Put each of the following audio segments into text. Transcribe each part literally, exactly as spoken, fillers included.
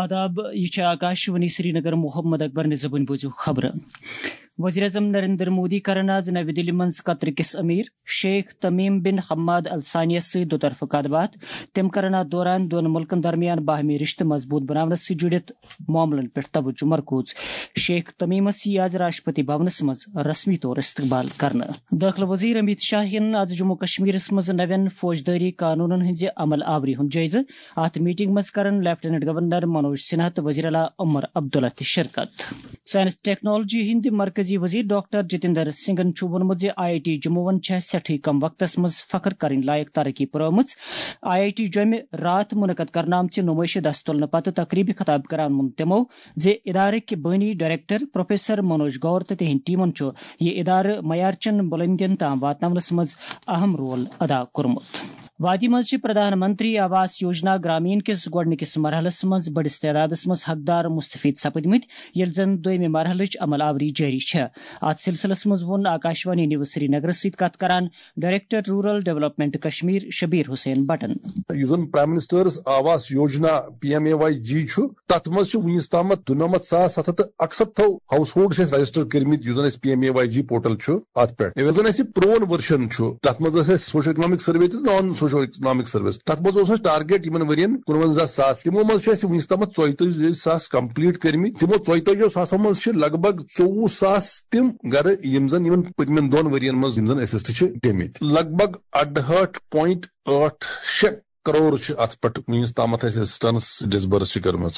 آداب، یہِ چھِ آکاشوانی سرینگر۔ محمد اکبر نِظامٕنۍ بوٗزِو خبرٕ۔ وزیر اعظم نریندر مودی کرن آز نوِ دِلہِ منٛز قطر کِس امیر شیخ تمیم بن حماد الثانیس سۭتۍ دُطرفہٕ کتھ باتھ۔ تِم کرن اتھ دوران دۄن مُلکن درمیان باہمی رشتہٕ مضبوٗط بناونس سۭتۍ جُڑِتھ معاملن پٮ۪ٹھ توجہ مرکوز۔ شیخ تمیمس یِیہِ آز راشٹرپتی بھونس منٛز رسمی طور استقبال کرنہٕ۔ دٲخلہٕ وزیر امیت شاہ ہٮ۪ن آز جموں کشمیرس منٛز نوٮ۪ن فوجدٲری قانونن ہٕنٛزِ عمل آوری ہُنٛد جٲیزٕ۔ اتھ میٹنگ منٛز کرن لیفٹیننٹ گورنر منوج سنہا تہٕ وزیر اعلیٰ عمر عبداللہ تہِ شرکت۔ سائنس ٹیکنالوجی ہٕنٛدۍ مرکزی وزیر ڈاکٹر جتیندر سنگھن چھُ ووٚنمُت زِ آئی آئی ٹی جموں وَن چھےٚ سٮ۪ٹھٕے کم وقتس منٛز فخر کرٕنۍ لایق ترقی پرٲومٕژ۔ آئی آئی ٹی جوٚمہِ راتھ منعقد کرنہٕ آمژِ نمٲیشہِ دستہٕ تُلنہٕ پتہٕ تقریبہِ خطاب کران ووٚن تِمو زِ ادارٕکۍ بٲنی ڈائریکٹر پروفیسر منوج گور تہٕ تِہنٛدۍ ٹیمن چھُ یہِ ادارٕ معیارچٮ۪ن بلندین تام واتناونس منٛز اہم رول ادا کوٚرمُت۔ وادی منٛز چھِ پردھان منتری آواس یوجنا گرامین کِس گۄڈٕنِکِس مرحلس منٛز بٔڑِس تعدادس منٛز حقدار مستفید سپٕدمٕتۍ، ییٚلہِ زن دوٚیمہِ مرحلٕچ عمل آوری جٲری چھےٚ۔ اتھ سلسلس منٛز ووٚن آکاشوانی نیوز سرینگرس سۭتۍ کتھ کران director rural development Kashmir Shabir Hussain بٹن۔ یُس زن prime minister's Awas Yojana, P M A Y G چھُ، تتھ منٛز چھِ وُنیُس تامتھ دُنمتھ ساس ستھ ہتھ تہٕ اکستتھو ہاؤس ہولڈ چھِ اَسہِ رجسٹر کٔرمٕتۍ، یُس زن اَسہِ P M A Y G portal چھُ اتھ پٮ۪ٹھ۔ ییٚلہِ زن اَسہِ پرون ورجن چھُ، تتھ منٛز ٲس اَسہِ سوشو اکنامک سروے تہٕ نان سوشو اکنامک سروے۔ تتھ منٛز اوس اَسہِ ٹارگیٹ یِمن ؤرین کُنوَنزاہ ساس۔ تِمو منٛز چھِ اَسہِ وُنیُس تامتھ ژۄیتٲجی ساس کمپلیٹ کٔرمٕتۍ۔ تِمو ژۄیتٲجی ساسو منٛز چھِ لگ بھگ ژوٚوُہ ساس تِم گرٕ، یِم زن یِمن پٔتمٮ۪ن دۄن ؤرین منٛز یِم زن اسسٹ چھِ گٔمٕتۍ۔ لگ بھگ اَڑہٲٹھ پوینٹ ٲٹھ شےٚ کرور چھِ اتھ پٮ۪ٹھ وُنیُس تامتھ اَسہِ اسسٹنس ڈسبرس چھِ کٔرمٕژ۔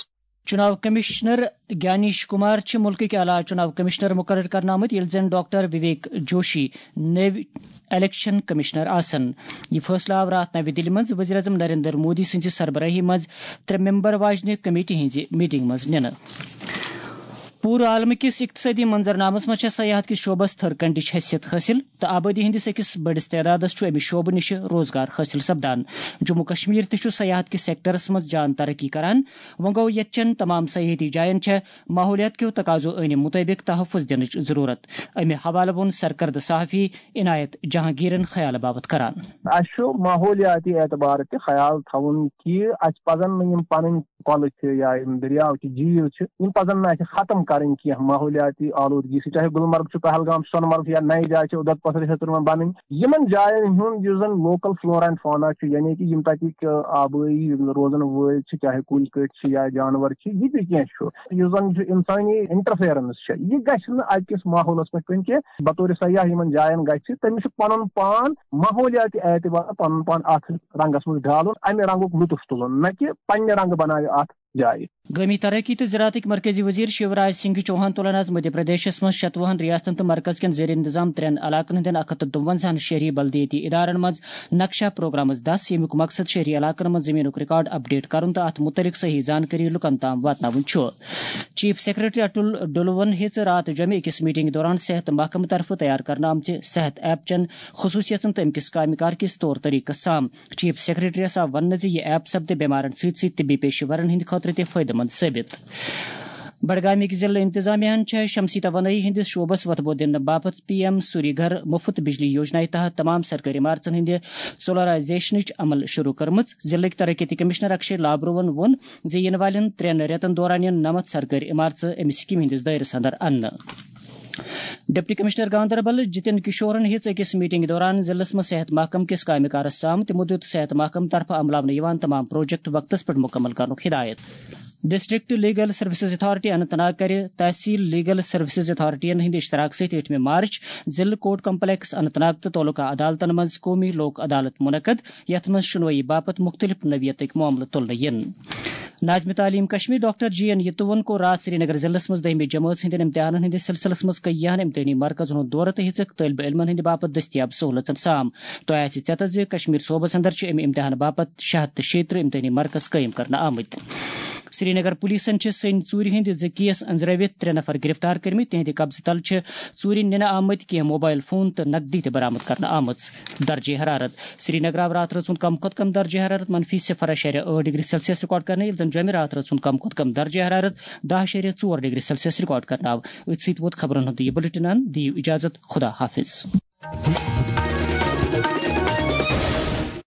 چُناو کمشنر گیانیش کمار چھِ مُلکٕکۍ اعلیٰ چُناو کمشنر مُقرر کرنہٕ آمٕتۍ، ییٚلہِ زن ڈاکٹر وویک جوشی نٔوۍ الیکشن کمشنر آسن۔ یہِ فٲصلہٕ آو راتھ نوِ دِلہِ منٛز وزیر اعظم نریندر مودی سٕنٛزِ سربرٲہی منٛز ترٛےٚ ممبر واجنہِ کمیٹی ہٕنٛزِ میٹنگ منٛز نِنہٕ۔ پوٗرٕ عالمہٕ کِس اقتصٲدی منظرنامس منٛز چھےٚ سیاحت کِس شعبس تھٔر کنڈٕچ حیثیت حٲصِل تہٕ آبٲدی ہٕنٛدِس أکِس بٔڑِس تعدادس چھُ اَمہِ شعبہٕ نِش روزگار حٲصِل سپدان۔ جموں کشمیر تہِ چھُ سیاحت کِس سیکٹرس منٛز جان ترقی کران۔ وۄنۍ گوٚو، ییٚتہِ چٮ۪ن تمام سیاحتی جاین چھےٚ ماحولیات کیو تقاضو عٲنہِ مُطٲبِق تحفظ دِنٕچ ضروٗرت۔ اَمہِ حوالہٕ ووٚن سرکردٕ صحافی عنایت جہانگیرن خیال باپتھ کران۔ اَسہِ چھُ ماحولیاتی اعتبار تہِ خیال تھاوُن کہِ اَسہِ پَزَن نہٕ یِم پَنٕنۍ کۄلہٕ چھِ یا یِم دٔریاو چھِ، جھیٖل چھِ، یِم پَزَن نہٕ اَسہِ ختم کَرٕنۍ کینٛہہ ماحولیاتی آلودگی سۭتۍ، چاہے گُلمرگ چھُ، پہلگام چھُ، سۄنہٕ مرگ چھُ یا نَیہِ جایہِ چھِ، اُدھر پتھر چھِ تِمَن بَنٕنۍ۔ یِمَن جایَن ہُنٛد یُس زَن لوکل فلورا اینڈ فونا چھُ، یعنی کہِ یِم تَتِکۍ آبٲیی روزَن وٲلۍ چھِ، چاہے کُلۍ کٔٹۍ چھِ یا جانوَر چھِ، یہِ تہِ کینٛہہ چھُ، یُس زَن چھُ اِنسٲنی انٹرفیرنس چھِ، یہِ گژھِ نہٕ اَتہِ کِس ماحولَس پٮ۪ٹھ پیوٚن کینٛہہ۔ بطور سیاح یِمَن جایَن گژھِ، تٔمِس چھُ پَنُن پان ماحولیاتی اعتبار پَنُن پان اَتھ رنگس منٛز ڈھالُن، امہِ رنگُک لطف تُلُن، نہ کہِ پننہِ رنگہٕ بناوِ اتھ جایہِ۔ گٲمی ترقی تہٕ زراعتٕکۍ مرکزی وزیر شیوراج سنگھ چوہان تُلن آز مدھیہ پردیشس منٛز شتوُہن ریاستن تہٕ مرکز کٮ۪ن زیر انتظام ترٛٮ۪ن علاقن ہٕنٛدٮ۪ن اکھ ہتھ تہٕ دُوَنزاہن شہری بلدیٲتی ادارن منٛز نقشہ پروگرامس دس، ییٚمیُک مقصد شہری علاقن منٛز زمینُک ریکارڈ اپڈیٹ کرُن تہٕ اتھ متعلق صحیح زانکٲری لُکن تام واتناوٕنۍ چھُ۔ چیف سیکرٹری اٹل ڈلوَن ہیٚژ راتھ جوٚمہِ أکِس میٹنگ دوران صحت محکمہٕ طرفہٕ تیار کرنہٕ آمژِ صحت ایپ چٮ۪ن خصوٗصیژن تہٕ امہِ کِس کامہِ کار کِس طور طریقس سام۔ چیف سیکرٹریَس آو وننہٕ زِ یہِ ایپ سپدِ بیمارن سۭتۍ سۭتۍ طبی پیشہٕ ورن ہٕنٛدِ خٲطرٕ تہِ فٲیدٕ مند ثٲبت۔ بڈگامٕکۍ ضلعہٕ انتظامیہ ہَن چھےٚ شمسی توانٲیی ہٕنٛدِس شعبس وۄتھٕ بوٚد دِنہٕ باپتھ پی ایم سوری گھر مُفت بجلی یوجنایہِ تحت تمام سرکٲرۍ عمارژن ہٕنٛدِ سولرائزیشنٕچ عمل شروع کٔرمٕژ۔ ضلعٕکۍ ترقیتی کمشنر اکشے لابروَن ووٚن زِ یِنہٕ والٮ۪ن ترٛٮ۪ن رٮ۪تن دوران یِن نَمَتھ سرکٲرۍ عمارژٕ اَمہِ سکیمہِ ہٕنٛدِس دٲیرس اندر اننہٕ۔ ڈپٹی کمشنر گاندربل جتن کشورن ہیٚژ أکِس میٹنگ دوران ضلعس منٛز صحت محکمہٕ کِس کامہِ کارس سام۔ تِمو دیُت صحت محکمہٕ طرفہٕ عملاونہٕ یِوان تمام پروجیکٹ وقتس پٮ۪ٹھ مکمل کرنُک ہدایت۔ District legal services authority Anant Nag کرِ تحصیل لیگل سروسز اتھارٹین ہٕنٛدِ اشتراک سۭتۍ ٲٹھمہِ مارچ ضلعہٕ کورٹ کمپلیکس اننت ناگ تہٕ تعلقہ عدالتن منٛز قومی لوک عدالت منعقد، یتھ منٛز شُنوٲیی باپتھ مُختٔلِف نوعیتٕکۍ معاملہٕ تُلنہٕ یِن۔ ناظم تعلیم کشمیر ڈاکٹر جی این یتوَن کوٚر راتھ سرینگر ضلعس منٛز دٔہمہِ جمٲژ ہٕنٛدٮ۪ن امتحانن ہٕنٛدِس سلسلس منٛز کٔیاہن امتحٲنی مرکزن ہُنٛد دورٕ تہٕ ہیٚژٕکھ طٲلبہِ علمن ہٕنٛدِ باپتھ دٔستیاب سہوٗلژن سام۔ تۄہہِ آسہِ ژٮ۪تس زِ کشمیر صوبس اندر چھِ امہِ امتحانہٕ باپتھ شےٚ ہتھ تہٕ شیٚیہِ ترٕٛہ امتحٲنی مرکز قٲیِم کرنہٕ آمٕتۍ۔ سرینگر پولیسن چھِ سٔنۍ ژوٗرِ ہٕنٛدۍ زٕ کیس أنٛزرٲوِتھ ترٛےٚ نفر گرفتار کٔرمٕتۍ۔ تِہنٛدِ قبضہٕ تل چھِ ژوٗرِ نِنہٕ آمٕتۍ کینٛہہ موبایل فون تہٕ نقدی تہِ برآمد کرنہٕ آمٕژ۔ درجہ حرارت۔ سرینگر آو راتھ رٲژ ہُنٛد کم کھۄتہٕ کم درجہ حرارت منفی صفر اعشاریہ ٲٹھ ڈگری سیلسیس ریکارڈ کرنہٕ، ییٚلہِ زن جوٚمہِ راتھ رٲژ ہُنٛد کم کھۄتہٕ کم درجہ حرارت دَہ اعشاریہ ژور ڈگری سیلسیس ریکارڈ کرنہٕ آو۔ أتھۍ سۭتۍ ووت خبرن ہُنٛد یہِ بلیٹن اند۔ دِیِو اجازت، خدا حافظ۔